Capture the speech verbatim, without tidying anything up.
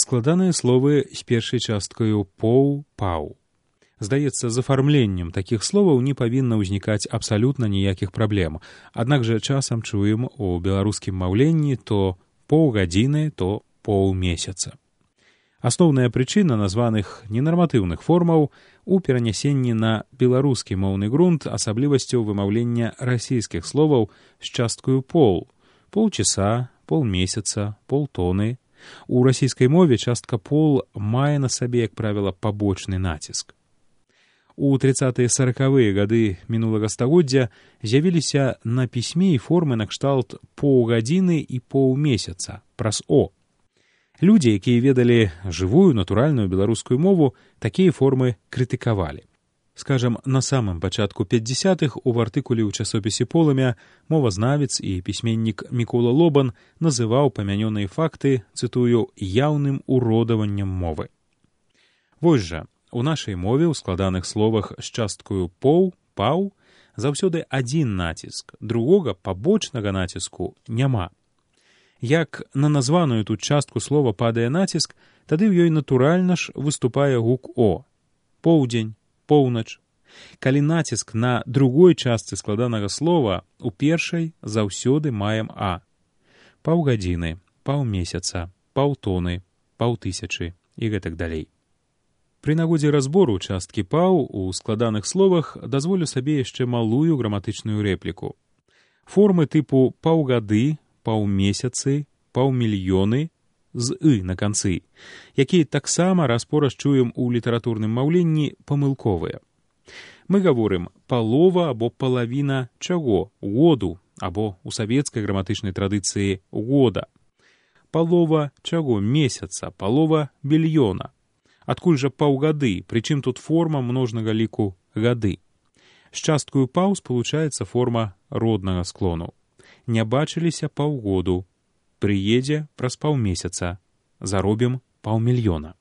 Складаныя словы з першай часткаю «поў», «паў». Здаецца, з афармленнем такіх словаў не павінна ўзнікаць абсалютна ніякіх праблем. Аднак жа часам чуем у беларускім маўленні то паўгадзіны, то паўмесяца. Асноўная прычына названых ненарматыўных формаў у перанясенні на беларускі моўны грунт асаблівасцяў вымаўлення расійскіх словаў з часткаю «пол», полчаса, полмесяца, полтоны. У расійскай мове частка «пол» мае на сабе, як правіла, пабочны націск. У трыццатыя саракавыя гады мінулага стагоддзя з'явіліся на пісьме і формы накшталт паўгадзіны і паўмесяца праз «о». Людзі, якія ведалі жывую, натуральную беларускую мову, такія формы крытыкавалі. Скажам, на самым пачатку пяцьдзясятых у артыкуле ў часопісе «Полымя» мовазнавец і пісьменнік Мікола Лобан называў памянёныя факты, цытую, «яўным уродаваннем мовы». Вось жа, у нашай мове ў складаных словах з часткаю «поў», «паў» заўсёды адзін націск, другога пабочнага націску няма. Як на названую тут частку слова падае націск, тады ў ёй натуральна ж выступае гук «о». Поўдзень, поўнач. Калі націск на другой частцы складанага слова, у першай заўсёды маем «а». Паўгадзіны, паўмесяца, паўтоны, паўтысячы і гэтак далей. Пры нагодзе разбору часткі «паў» у складаных словах дазволю сабе яшчэ малую граматычную рэпліку. Формы тыпу «паўгады», «паўмесяцы», «паўмільёны» з «ы» на канцы, якія таксама раз-пораз чуем у літаратурным маўленні памылковыя. Мы гаворым «палова» або «палавіна» чаго? Году, або у савецкай граматычнай традыцыі «года». Палова чаго? Месяца, палова мільёна. Адкуль жа паўгады, прычым тут форма множнага ліку «гады». З часткаю «паў» спалучаецца форма роднага склону. Не бачыліся паўгоду, прыедзе праз паўмесяца, заробім паўмільёна.